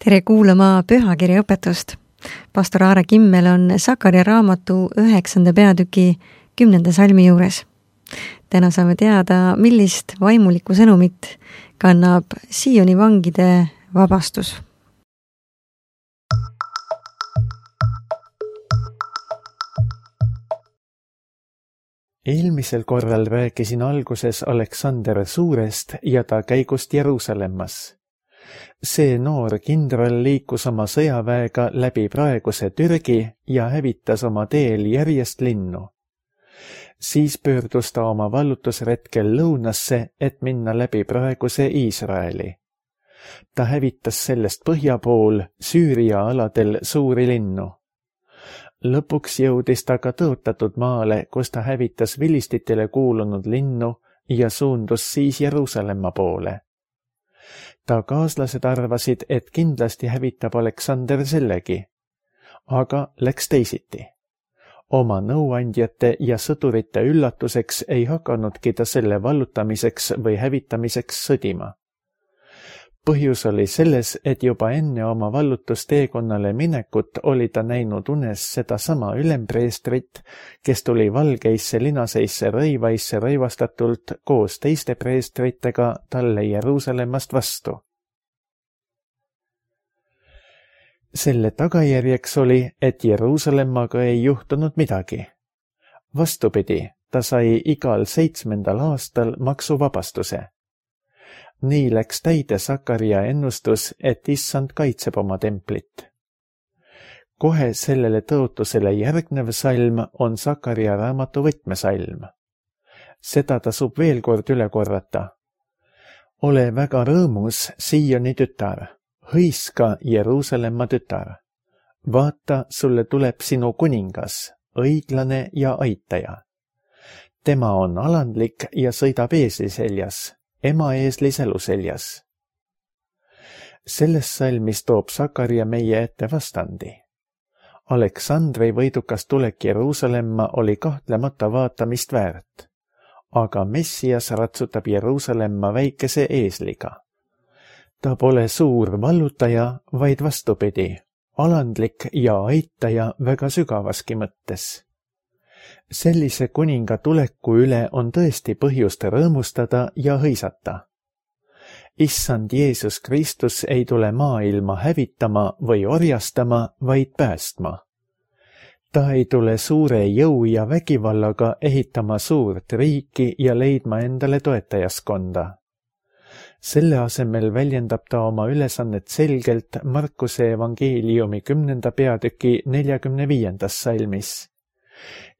tere kuulama pühakirja õpetust. Pastor Aare Kimmel on Sakaria raamatu 9. peatüki 10. salmi juures. Täna saame teada, millist vaimulikku sõnumit kannab Sioni vangide vabastus. Eelmisel korral rääkisin alguses Aleksander Suurest ja ta käigust Jeruusalemmas. See noor kindral liikus oma sõjaväega läbi praeguse Türgi ja hävitas oma teel järjest linnu. Siis pöördus ta oma vallutusretkel lõunasse, et minna läbi praeguse Iisraeli. Ta hävitas sellest põhja pool Süüria aladel suuri linnu. Lõpuks jõudis ta ka tõotatud maale, kus ta hävitas vilistitele kuulunud linnu ja suundus siis Jeruusalemma poole. Ta kaaslased arvasid, et kindlasti hävitab Aleksander sellegi, aga läks teisiti. Oma nõuandjate ja sõdurite üllatuseks ei hakanudki ta selle vallutamiseks või hävitamiseks sõdima. Põhjus oli selles, et juba enne oma vallutusteekonnale minekut oli ta näinud unes sedasama ülempreestrit, kes tuli valgeisse linaseisse rõivaisse rõivastatult koos teiste preestritega talle Jeruusalemmast vastu. Selle tagajärjeks oli, et Jeruusalemmaga ei juhtunud midagi. Vastupidi, ta sai igal 7. aastal maksuvabastuse. Nii läks täide Sakaria ennustus, et Issand kaitseb oma templit. Kohe sellele tõotusele järgnev salm on Sakaria raamatu võtmesalm. Seda tasub veel kord üle korrata. Ole väga rõõmus, Sioni tütar, hõiska Jeruusalemma tütar. Vaata, sulle tuleb sinu kuningas, õiglane ja aitaja. Tema on alandlik ja sõidab eesli seljas. Ema eesli sälu seljas. Selles salmis toob Sakaria meie ette vastandi. Aleksandri võidukas tulek Jeruusalemma oli kahtlemata vaatamist väärt, aga Messias ratsutab Jeruusalemma väikese eesliga. Ta pole suur vallutaja, vaid vastupidi, alandlik ja aitaja väga sügavaski mõttes. Sellise kuninga tuleku üle on tõesti põhjust rõõmustada ja hõisata. Issand Jeesus Kristus ei tule maailma hävitama või orjastama, vaid päästma. Ta ei tule suure jõu ja vägivallaga ehitama suurt riiki ja leidma endale toetajaskonda. Selle asemel väljendab ta oma ülesannet selgelt Markuse evangeeliumi 10. peatüki 45. salmis.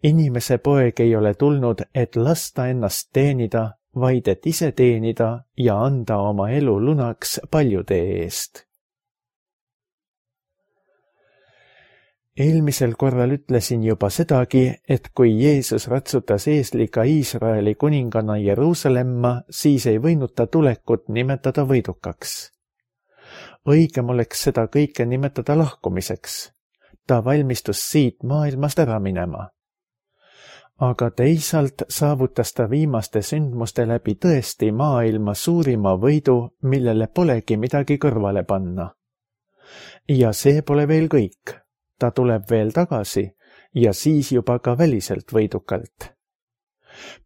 Inimese poeg ei ole tulnud, et lasta ennast teenida, vaid et ise teenida ja anda oma elu lunaks paljude eest. Eelmisel korral ütlesin juba sedagi, et kui Jeesus ratsutas eesliga Iisraeli kuningana Jeruusalemma, siis ei võinud ta tulekut nimetada võidukaks. Õigem oleks seda kõike nimetada lahkumiseks. Ta valmistus siit maailmast ära minema. Aga teisalt saavutas ta viimaste sündmuste läbi tõesti maailma suurima võidu, millele polegi midagi kõrvale panna. Ja see pole veel kõik. Ta tuleb veel tagasi ja siis juba ka väliselt võidukalt.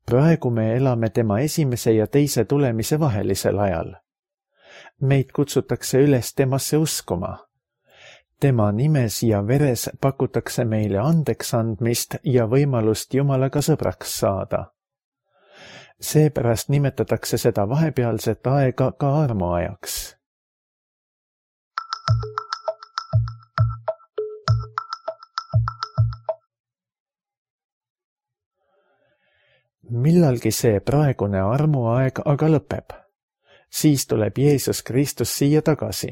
Praegu me elame tema esimese ja teise tulemise vahelisel ajal. Meid kutsutakse üles temasse uskuma. Tema nimes ja veres pakutakse meile andeks andmist ja võimalust Jumalaga sõbraks saada. Seepärast nimetatakse seda vahepealset aega ka armuajaks. Millalgi see praegune armuaeg aga lõpeb. Siis tuleb Jeesus Kristus siia tagasi.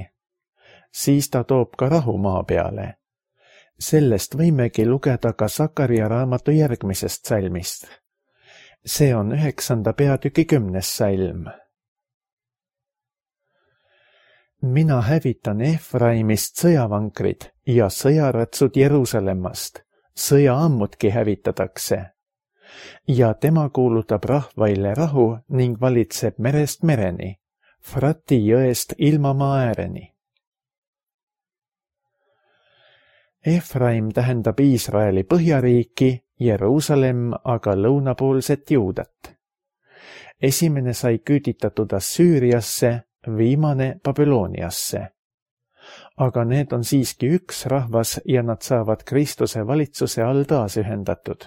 Siis ta toob ka rahu maa peale. Sellest võimegi lugeda ka Sakaria raamatu järgmisest salmist. See on 9. peatüki 10. salm. Mina hävitan Efraimist sõjavankrid ja sõjaratsud Jeruusalemmast. Sõjaammutki hävitatakse. Ja tema kuulutab rahvaile rahu ning valitseb merest mereni, Frati jõest ilmamaa ääreni. Efraim tähendab Iisraeli põhjariiki, Jeruusalemm aga lõunapoolset Juudat. Esimene sai küüditatud Assüüriasse, viimane Babyloniasse. Aga need on siiski üks rahvas ja nad saavad Kristuse valitsuse all taasühendatud.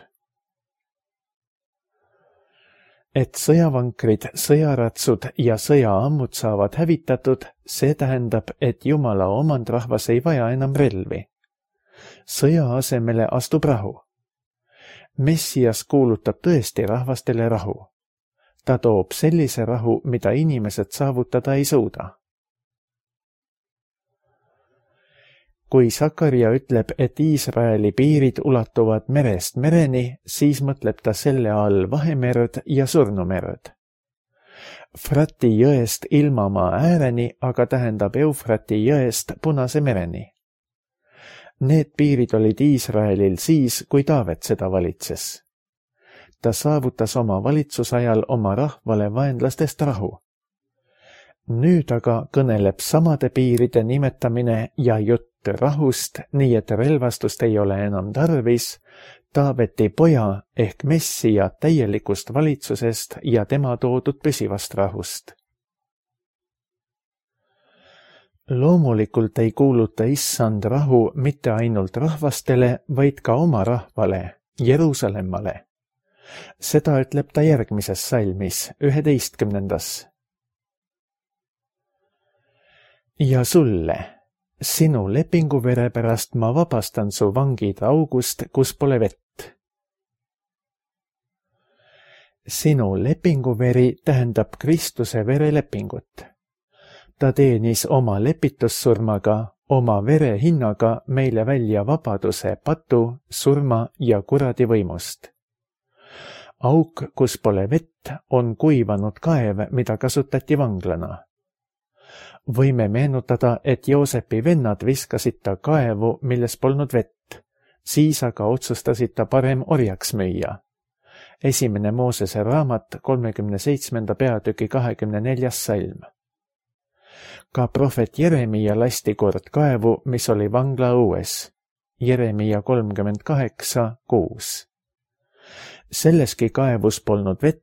Et sõjavankrid, sõjaratsud ja sõjaammud saavad hävitatud, see tähendab, et Jumala omandrahvas ei vaja enam relvi. Sõja asemele astub rahu. Messias kuulutab tõesti rahvastele rahu. Ta toob sellise rahu, mida inimesed saavutada ei suuda. Kui Sakaria ütleb, et Iisraeli piirid ulatuvad merest mereni, siis mõtleb ta selle all Vahemerd ja Surnumerd. Frati jõest ilmamaa ääreni aga tähendab Eufrati jõest Punase mereni. Need piirid olid Iisraelil siis, kui Taavet seda valitses. Ta saavutas oma valitsusajal oma rahvale vaenlastest rahu. Nüüd aga kõneleb samade piiride nimetamine ja jutt rahust, nii et relvastust ei ole enam tarvis, Taaveti poja ehk Messia täielikust valitsusest ja tema toodud püsivast rahust. Loomulikult ei kuuluta issand rahu mitte ainult rahvastele, vaid ka oma rahvale, Jeruusalemmale. Seda ütleb ta järgmises salmis, 11. Ja sulle, sinu lepinguvere pärast ma vabastan su vangid august, kus pole vett. Sinu lepinguveri tähendab Kristuse verelepingut. Ta teenis oma lepitussurmaga, oma vere hinnaga meile välja vabaduse patu, surma ja kuradi võimust. Auk, kus pole vett, on kuivanud kaev, mida kasutati vanglana. Võime meenutada, et Joosepi vennad viskasid ta kaevu, milles polnud vett, siis aga otsustasid ta parem orjaks müüa. Esimene Moosese raamat, 37. peatüki 24. salm. Ka prohvet Jeremia lasti kord kaevu, mis oli vangla õues. Jeremia 38:6. Selleski kaevus polnud vett,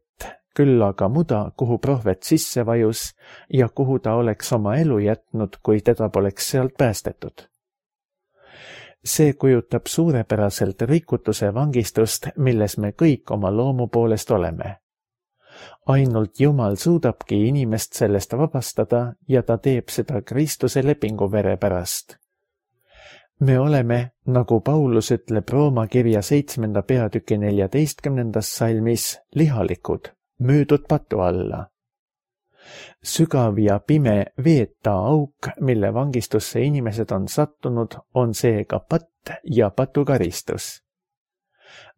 küll aga muda, kuhu prohvet sisse vajus ja kuhu ta oleks oma elu jätnud, kui teda poleks sealt päästetud. See kujutab suurepäraselt rikutuse vangistust, milles me kõik oma loomu poolest oleme. Ainult Jumal suudabki inimest sellest vabastada ja ta teeb seda Kristuse lepinguvere pärast. Me oleme, nagu Paulus ütleb Rooma kirja 7. peatüki 14. salmis, lihalikud, müüdud patu alla. Sügav ja pime veeta auk, mille vangistusse inimesed on sattunud, on seega patt ja patukaristus.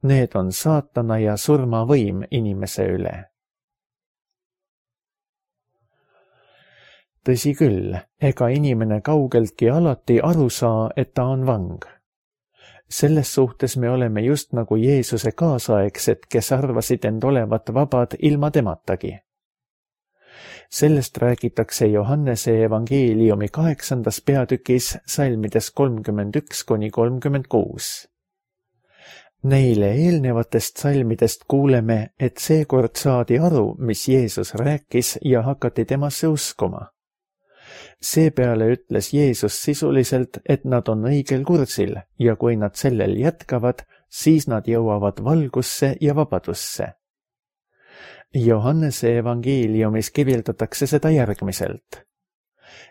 Need on saatana ja surmavõim inimese üle. Tõsi küll, ega inimene kaugeltki alati aru saa, et ta on vang. Selles suhtes me oleme just nagu Jeesuse kaasaegsed, kes arvasid end olevat vabad ilma tematagi. Sellest räägitakse Johannese evangeeliumi 8. peatükis salmides 31–36. Neile eelnevatest salmidest kuuleme, et seekord saadi aru, mis Jeesus rääkis ja hakati temasse uskuma. Seepeale ütles Jeesus sisuliselt, et nad on õigel kursil ja kui nad sellel jätkavad, siis nad jõuavad valgusse ja vabadusse. Johannese evangeeliumis kirjeldatakse seda järgmiselt.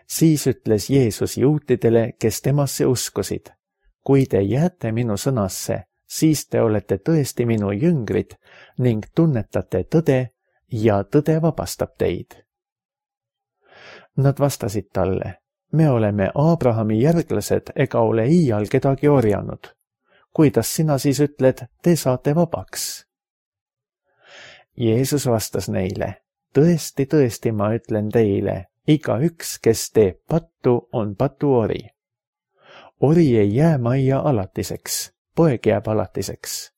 Siis ütles Jeesus juutidele, kes temasse uskusid, kui te jääte minu sõnasse, siis te olete tõesti minu jüngrid ning tunnetate tõde ja tõde vabastab teid. Nad vastasid talle, me oleme Abrahami järglased ega ole iial kedagi orjanud. Kuidas sina siis ütled, te saate vabaks? Jeesus vastas neile, tõesti, tõesti, ma ütlen teile, igaüks, kes teeb pattu, on patuori. Ori ei jää majja alatiseks, poeg jääb alatiseks.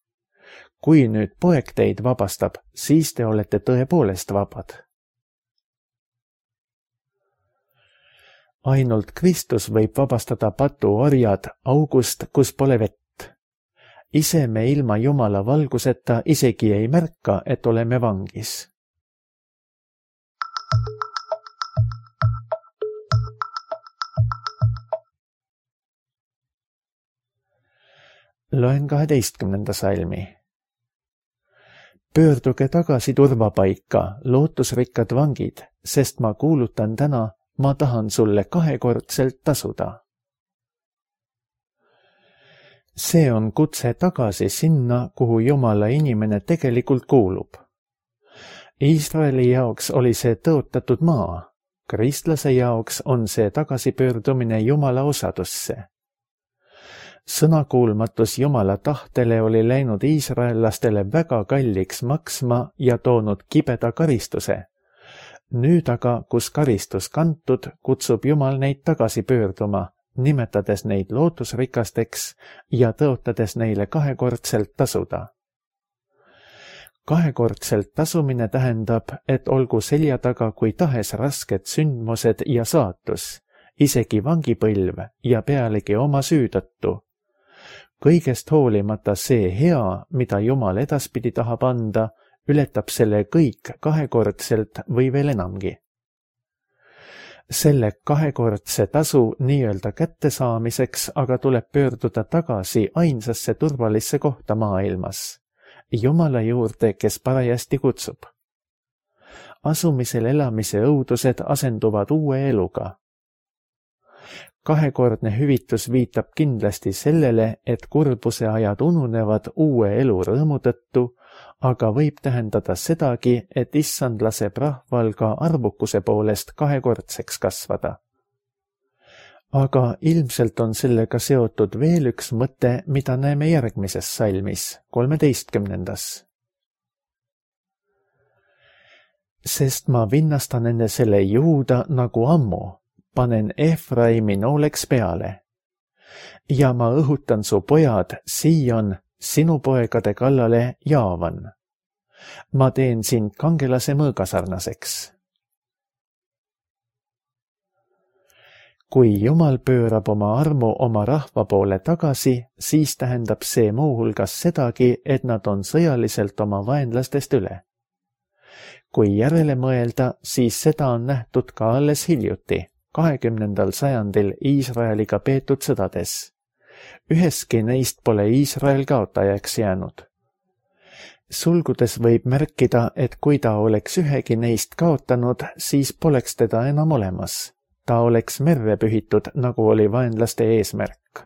Kui nüüd poeg teid vabastab, siis te olete tõepoolest vabad. Ainult Kristus võib vabastada patuorjad august, kus pole vett. Ise me ilma Jumala valguseta isegi ei märka, et oleme vangis. Loen 12. salmi. Pöörduge tagasi turvapaika, lootusrikkad vangid, sest ma kuulutan täna, ma tahan sulle 2-kordselt tasuda. See on kutse tagasi sinna, kuhu Jumala inimene tegelikult kuulub. Iisraeli jaoks oli see tõotatud maa, kristlase jaoks on see tagasipöördumine Jumala osadusse. Sõnakuulmatus Jumala tahtele oli läinud iisraellastele väga kalliks maksma ja toonud kibeda karistuse. Nüüd aga, kus karistus kantud, kutsub Jumal neid tagasi pöörduma, nimetades neid lootusrikasteks ja tõotades neile 2-kordselt tasuda. 2-kordselt tasumine tähendab, et olgu selja taga kui tahes rasked sündmused ja saatus, isegi vangipõlv ja pealegi oma süü tõttu. Kõigest hoolimata see hea, mida Jumal edaspidi tahab anda, ületab selle kõik 2-kordselt või veel enamgi. Selle 2-kordse tasu nii-öelda kättesaamiseks aga tuleb pöörduda tagasi ainsasse turvalisse kohta maailmas, Jumala juurde, kes parajasti kutsub. Asumisel elamise õudused asenduvad uue eluga. 2-kordne hüvitus viitab kindlasti sellele, et kurbuse ajad ununevad uue elu rõõmu tõttu, aga võib tähendada sedagi, et issand laseb rahval ka arvukuse poolest 2-kordseks kasvada. Aga ilmselt on sellega seotud veel üks mõte, mida näeme järgmises salmis, 13. Sest ma vinnastan enne selle Juuda nagu ammu, panen Efraimi nooleks peale. Ja ma õhutan su pojad, Sion, sinu poegade kallale Jaavan. Ma teen sind kangelase mõõgasarnaseks. Kui Jumal pöörab oma armu oma rahva poole tagasi, siis tähendab see muuhulgas sedagi, et nad on sõjaliselt oma vaenlastest üle. Kui järele mõelda, siis seda on nähtud ka alles hiljuti, 20. sajandil Iisraeliga peetud sõdades. Üheski neist pole Iisrael kaotajaks jäänud. Sulgudes võib märkida, et kui ta oleks ühegi neist kaotanud, siis poleks teda enam olemas. Ta oleks merre pühitud, nagu oli vaenlaste eesmärk.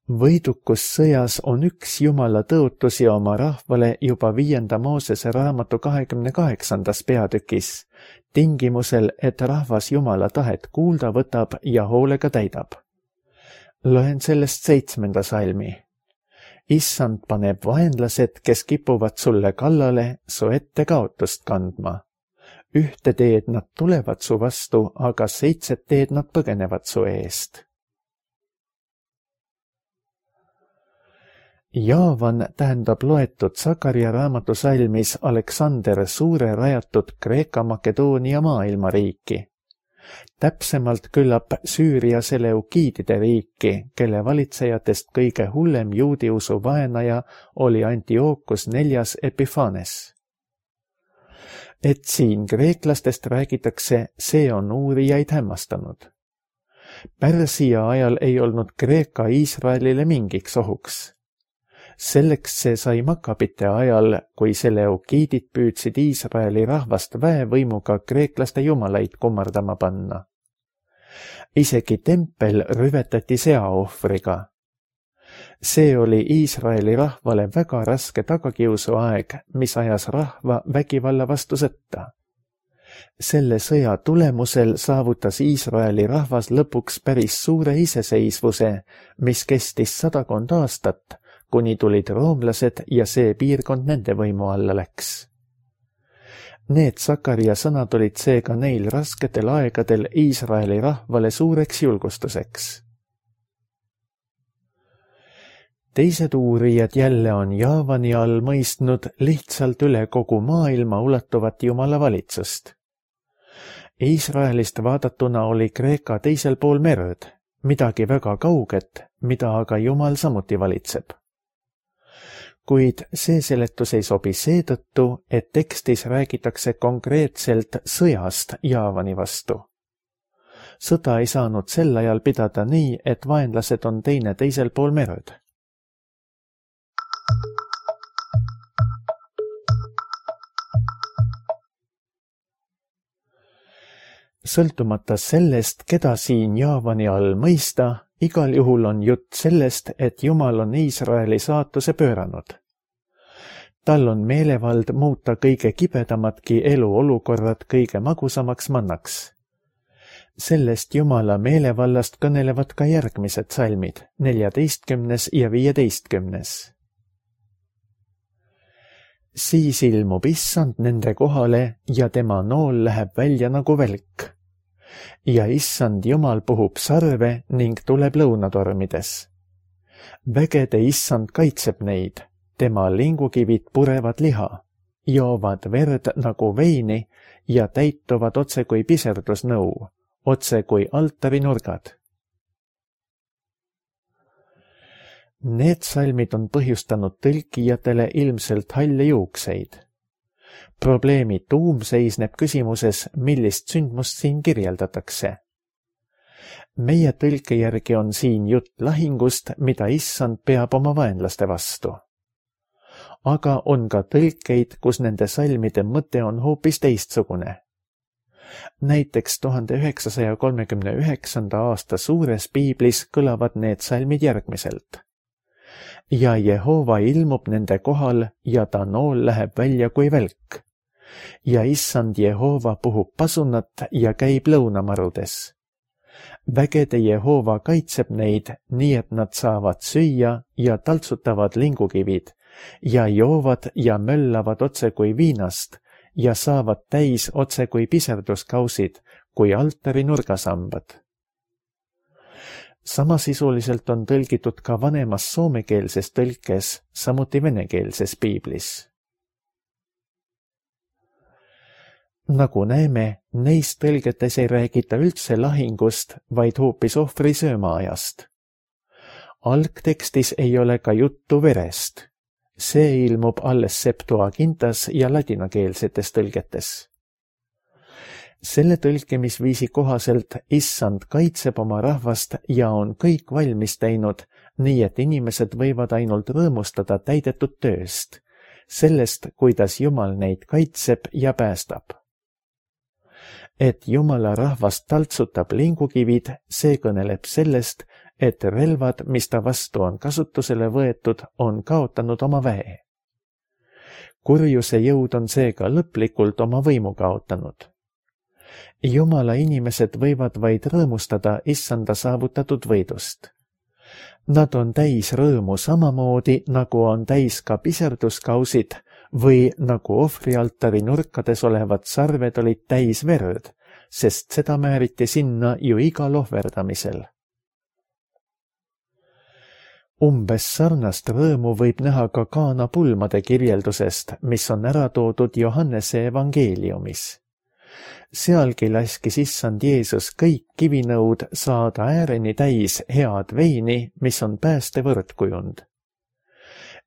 Võidukus sõjas on üks Jumala tõotusi oma rahvale juba 5. Moosese raamatu 28. peatükis, tingimusel, et rahvas Jumala tahet kuulda võtab ja hoolega täidab. Loen sellest 7. salmi. Issand paneb vaenlased, kes kipuvad sulle kallale, su ette kaotust kandma. Ühte teed nad tulevad su vastu, aga 7 teed nad põgenevad su eest. Jaavan tähendab loetud Sakaria raamatu salmis Aleksander Suure rajatud Kreeka-Makedoonia maailmariiki. Täpsemalt küllap Süüria seleukiidide riiki, kelle valitsejatest kõige hullem juudiusu vaenaja oli Antiochus 4. Epiphanes. Et siin kreeklastest räägitakse, see on uurijaid hämmastanud. Pärsia ajal ei olnud Kreeka Iisraelile mingiks ohuks. Selleks see sai Makabite ajal, kui seleukiidid püüdsid Iisraeli rahvast väevõimuga kreeklaste jumalaid kummardama panna. Isegi tempel rüvetati seaohvriga. See oli Iisraeli rahvale väga raske tagakiusuaeg, mis ajas rahva vägivalla vastu sõtta. Selle sõja tulemusel saavutas Iisraeli rahvas lõpuks päris suure iseseisvuse, mis kestis 100 aastat, kuni tulid roomlased ja see piirkond nende võimu alla läks. Need Sakaria sõnad olid seega neil rasketel aegadel Iisraeli rahvale suureks julgustuseks. Teised uurijad jälle on Jaavani all mõistnud lihtsalt üle kogu maailma ulatuvat Jumala valitsust. Iisraelist vaadatuna oli Kreeka teisel pool merd, midagi väga kauget, mida aga Jumal samuti valitseb. Kuid see seletus ei sobi seetõttu, et tekstis räägitakse konkreetselt sõjast Jaavani vastu. Sõda ei saanud sel ajal pidada nii, et vaenlased on teisel pool merd. Sõltumata sellest, keda siin Jaavani all mõista, igal juhul on jutt sellest, et Jumal on Iisraeli saatuse pööranud. Tal on meelevald muuta kõige kibedamadki eluolukorrad kõige magusamaks mannaks. Sellest Jumala meelevallast kõnelevad ka järgmised salmid, 14. ja 15. Siis ilmub issand nende kohale ja tema nool läheb välja nagu välk. Ja issand Jumal puhub sarve ning tuleb lõunatormides. Vägede issand kaitseb neid, tema lingukivid purevad liha, joovad verd nagu veini ja täituvad otse kui piserdusnõu, otse kui altarinurgad. Need salmid on põhjustanud tõlkijatele ilmselt halle juukseid. Probleemi tuum seisneb küsimuses, millist sündmust siin kirjeldatakse. Meie tõlke järgi on siin jutt lahingust, mida issand peab oma vaenlaste vastu. Aga on ka tõlkeid, kus nende salmide mõte on hoopis teistsugune. Näiteks 1939. aasta suures piiblis kõlavad need salmid järgmiselt. Ja Jehova ilmub nende kohal ja ta nool läheb välja kui välk. Ja issand Jehova puhub pasunat ja käib lõunamarudes. Vägede Jehova kaitseb neid, nii et nad saavad süüa ja taltsutavad lingukivid ja joovad ja möllavad otse kui viinast ja saavad täis otse kui piserduskausid, kui altari nurgasambad. Samasisuliselt on tõlgitud ka vanemas soomekeelses tõlkes, samuti venekeelses piiblis. Nagu näeme, neis tõlgetes ei räägita üldse lahingust, vaid hoopis ohvri söömaajast. Algtekstis ei ole ka juttu verest. See ilmub alles Septuagintas ja ladinakeelsetes tõlgetes. Selle tõlkimisviisi kohaselt issand kaitseb oma rahvast ja on kõik valmis teinud, nii et inimesed võivad ainult rõõmustada täidetud tööst, sellest, kuidas Jumal neid kaitseb ja päästab. Et Jumala rahvast taltsutab lingukivid, see kõneleb sellest, et relvad, mis ta vastu on kasutusele võetud, on kaotanud oma väe. Kurjuse jõud on seega lõplikult oma võimu kaotanud. Jumala inimesed võivad vaid rõõmustada issanda saavutatud võidust. Nad on täis rõõmu samamoodi, nagu on täis ka piserduskausid või nagu ohvrialtari nurkades olevad sarved olid täis verd, sest seda määriti sinna ju igal ohverdamisel. Umbes sarnast rõõmu võib näha ka Kaana pulmade kirjeldusest, mis on ära toodud Johannese evangeeliumis. Sealgi laskis issand Jeesus kõik kivinõud saada ääreni täis head veini, mis on pääste võrdkujund.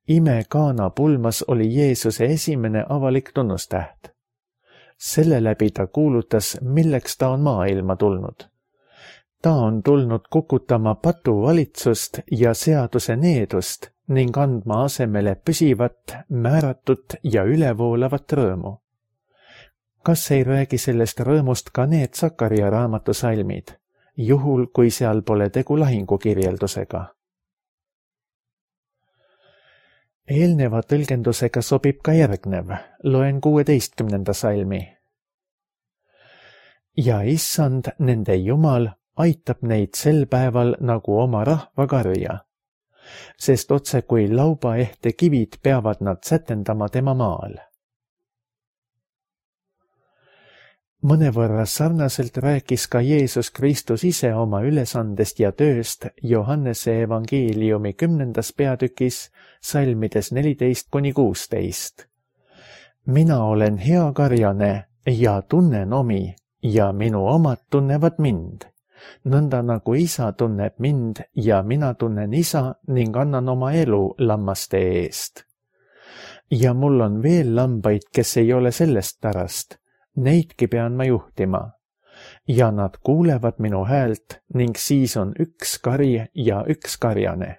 Ime Kaana pulmas oli Jeesuse esimene avalik tunnustäht. Selle läbi ta kuulutas, milleks ta on maailma tulnud. Ta on tulnud kukutama patuvalitsust ja seaduse needust ning andma asemele püsivat, määratut ja ülevoolavat rõõmu. Kas ei räägi sellest rõõmust ka need Sakaria raamatu salmid, juhul kui seal pole tegu lahingukirjeldusega? Eelneva tõlgendusega sobib ka järgnev, loen 16. salmi. Ja issand, nende Jumal, aitab neid sel päeval nagu oma rahva karja, sest otse kui laubaehte kivid peavad nad sätendama tema maal. Mõnevõrra sarnaselt rääkis ka Jeesus Kristus ise oma ülesandest ja tööst Johannese evangeeliumi 10. peatükis salmides 14–16. Mina olen hea karjane ja tunnen omi ja minu omad tunnevad mind, nõnda nagu isa tunneb mind ja mina tunnen isa ning annan oma elu lammaste eest. Ja mul on veel lambaid, kes ei ole sellest pärast, neidki pean ma juhtima. Ja nad kuulevad minu häält ning siis on üks kari ja üks karjane.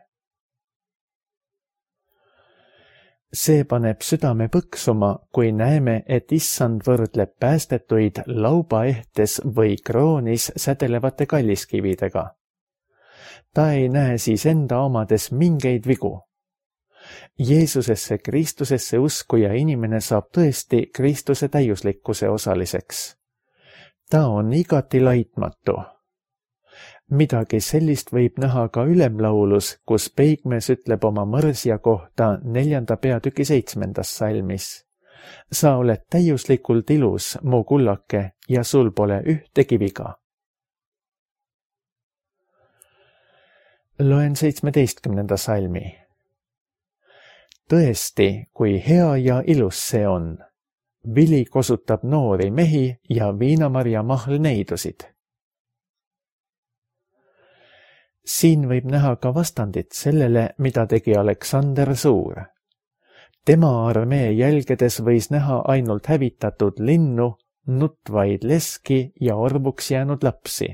See paneb südame põksuma, kui näeme, et issand võrdleb päästetuid laubaehtes või kroonis sädelevate kalliskividega. Ta ei näe siis enda omades mingeid vigu. Jeesusesse, Kristusesse uskuja inimene saab tõesti Kristuse täiuslikkuse osaliseks. Ta on igati laitmatu. Midagi sellist võib näha ka ülemlaulus, kus Peigmees ütleb oma mõrsja kohta 4. peatüki 7. salmis. Sa oled täiuslikult ilus, mu kullake, ja sul pole ühtegi viga. Loen 17. salmi. Tõesti, kui hea ja ilus see on. Vili kosutab noori mehi ja viinamarja mahl neidusid. Siin võib näha ka vastandit sellele, mida tegi Aleksander Suur. Tema armee jälgedes võis näha ainult hävitatud linnu, nutvaid leski ja orvuks jäänud lapsi.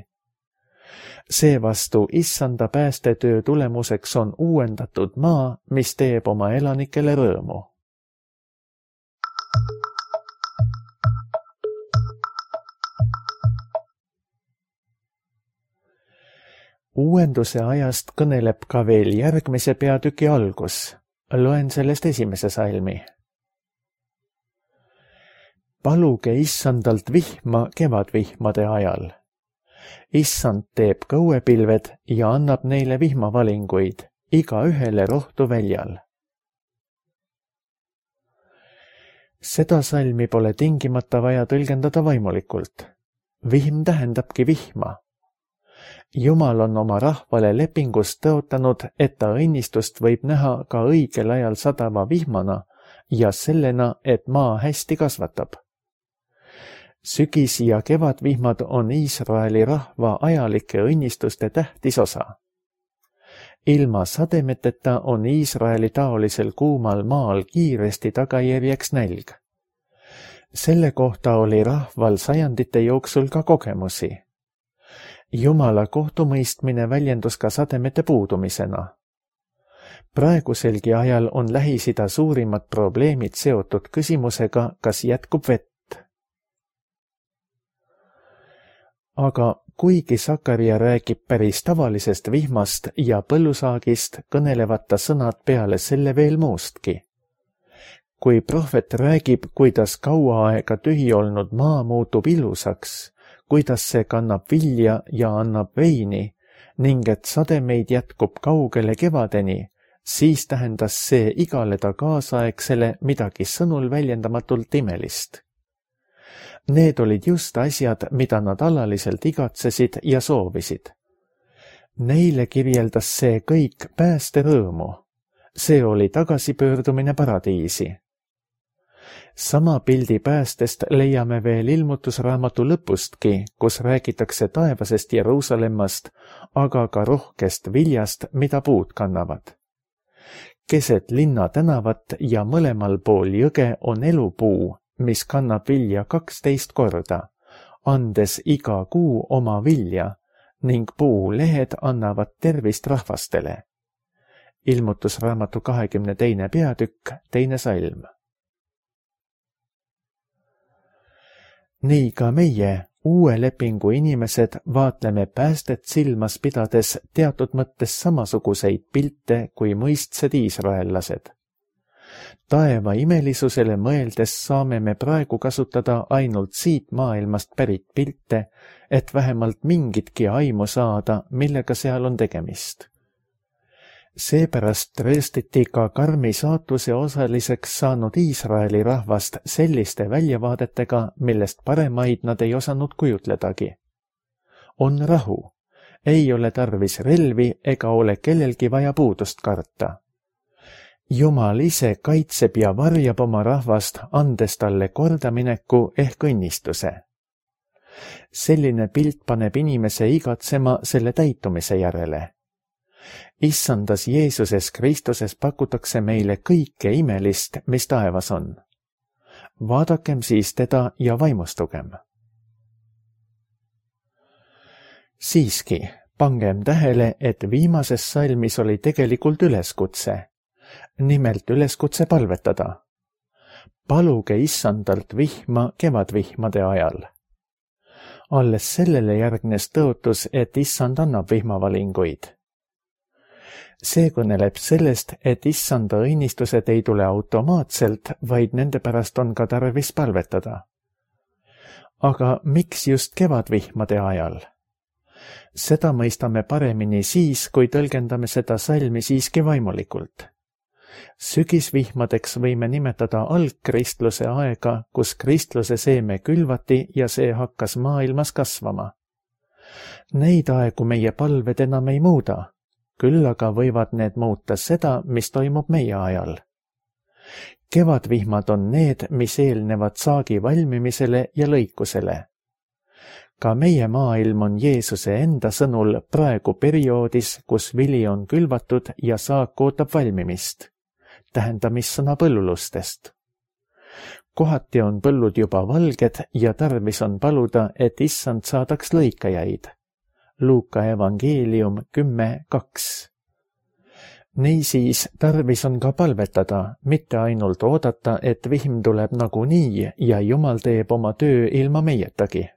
Seevastu issanda päästetöö tulemuseks on uuendatud maa, mis teeb oma elanikele rõõmu. Uuenduse ajast kõneleb ka veel järgmise peatüki algus. Loen sellest 1. salmi. Paluge issandalt vihma kevadvihmade ajal. Issand teeb kõuepilved ja annab neile vihmavalinguid, iga ühele rohtu väljal. Seda salmi pole tingimata vaja tõlgendada vaimulikult. Vihm tähendabki vihma. Jumal on oma rahvale lepingust tõotanud, et ta õnnistust võib näha ka õigel ajal sadava vihmana ja sellena, et maa hästi kasvatab. Sügis- ja kevadvihmad on Iisraeli rahva ajalike õnnistuste tähtis osa. Ilma sademeteta on Iisraeli taolisel kuumal maal kiiresti tagajärjeks nälg. Selle kohta oli rahval sajandite jooksul ka kogemusi. Jumala kohtumõistmine väljendus ka sademete puudumisena. Praeguselgi ajal on Lähis-Ida suurimad probleemid seotud küsimusega, kas jätkub vett. Aga kuigi Sakaria räägib päris tavalisest vihmast ja põllusaagist, kõnelevad ta sõnad peale selle veel muustki. Kui prohvet räägib, kuidas kaua aega tühi olnud maa muutub ilusaks, kuidas see kannab vilja ja annab veini ning et sademeid jätkub kaugele kevadeni, siis tähendas see igale ta kaasaegsele midagi sõnul väljendamatult imelist. Need olid just asjad, mida nad alaliselt igatsesid ja soovisid. Neile kirjeldas see kõik päästerõõmu. See oli tagasipöördumine paradiisi. Sama pildi päästest leiame veel ilmutusraamatu lõpustki, kus räägitakse taevasest Jeruusalemmast, aga ka rohkest viljast, mida puud kannavad. Keset linna tänavat ja mõlemal pool jõge on elupuu, mis kannab vilja 12 korda, andes iga kuu oma vilja ning puulehed annavad tervist rahvastele. Ilmutusraamatu 22. peatükk, 2. salm. Nii ka meie, uue lepingu inimesed, vaatleme päästet silmas pidades teatud mõttes samasuguseid pilte kui mõistsed iisraellased. Taeva imelisusele mõeldes saame me praegu kasutada ainult siit maailmast pärit pilte, et vähemalt mingitki aimu saada, millega seal on tegemist. Seepärast trööstiti ka karmi saatuse osaliseks saanud Iisraeli rahvast selliste väljavaadetega, millest paremaid nad ei osanud kujutledagi. On rahu, ei ole tarvis relvi ega ole kellelgi vaja puudust karta. Jumal ise kaitseb ja varjab oma rahvast, andes talle kordamineku ehk õnnistuse. selline pilt paneb inimese igatsema selle täitumise järele. Issandas Jeesuses Kristuses pakutakse meile kõike imelist, mis taevas on. Vaadakem siis teda ja vaimustugem. Siiski, pangem tähele, et viimases salmis oli tegelikult üleskutse. Nimelt üleskutse palvetada. Paluge Issandalt vihma kevadvihmade ajal. Alles sellele järgnes tõotus, et Issand annab vihmavalinguid. See kõneleb sellest, et Issanda õnnistused ei tule automaatselt, vaid nende pärast on ka tarvis palvetada. Aga miks just kevadvihmade ajal? Seda mõistame paremini siis, kui tõlgendame seda salmi siiski vaimulikult. Sügisvihmadeks võime nimetada algkristluse aega, kus kristluse seeme külvati ja see hakkas maailmas kasvama. Neid aegu meie palved enam ei muuda, küll aga võivad need muuta seda, mis toimub meie ajal. Kevadvihmad on need, mis eelnevad saagi valmimisele ja lõikusele. Ka meie maailm on Jeesuse enda sõnul praegu perioodis, kus vili on külvatud ja saak ootab valmimist. Tähendamissõna põllulustest. Kohati on põllud juba valged ja tarvis on paluda, et Issand saadaks lõikajaid. Luuka evangeelium 10:2. Niisiis tarvis on ka palvetada, mitte ainult oodata, et vihm tuleb nagunii ja Jumal teeb oma töö ilma meietagi.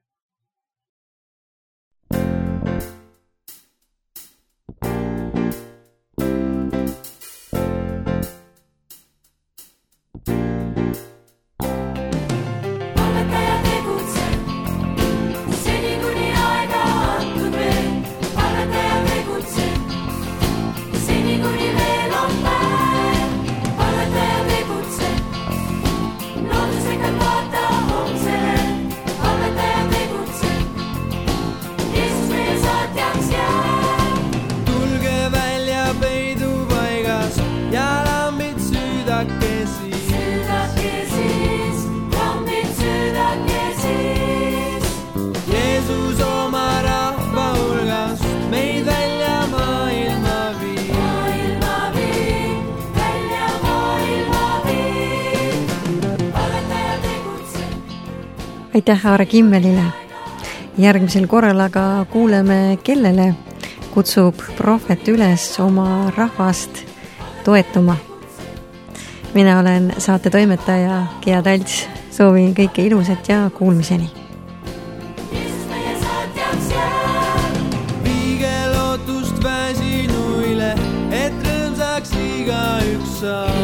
Aitäh Aare Kimmelile. Järgmisel korral aga kuuleme, kellele kutsub prohvet üles oma rahvast toetuma. Mina olen saate toimetaja Gea Talts. Soovin kõike ilusat ja kuulmiseni. Viige lootust väsinuile, et rõõmsaks igaüks saab.